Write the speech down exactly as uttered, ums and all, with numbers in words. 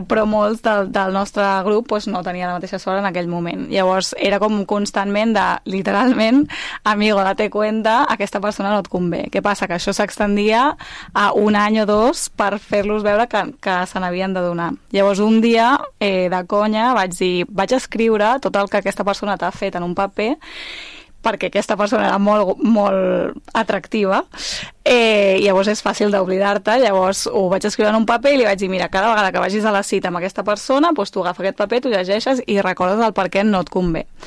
però molts del, del nostre grup doncs, no tenia la mateixa sort en aquell moment. Llavors era com constantment de, literalment, amigo, date cuenta, aquesta persona no et convé. Què passa? Que això s'extendia a un any o dos per fer-los veure que, que se n'havien de donar. Llavors un dia, eh, de conya, vaig dir, vaig escriure tot el que aquesta persona t'ha fet en un paper, perquè aquesta persona era molt, molt atractiva, eh, llavors és fàcil d'oblidar-te, llavors ho vaig escriure en un paper i li vaig dir, mira, cada vegada que vagis a la cita amb aquesta persona, doncs tu agafa aquest paper, tu llegeixes i recordes el per què no et convé.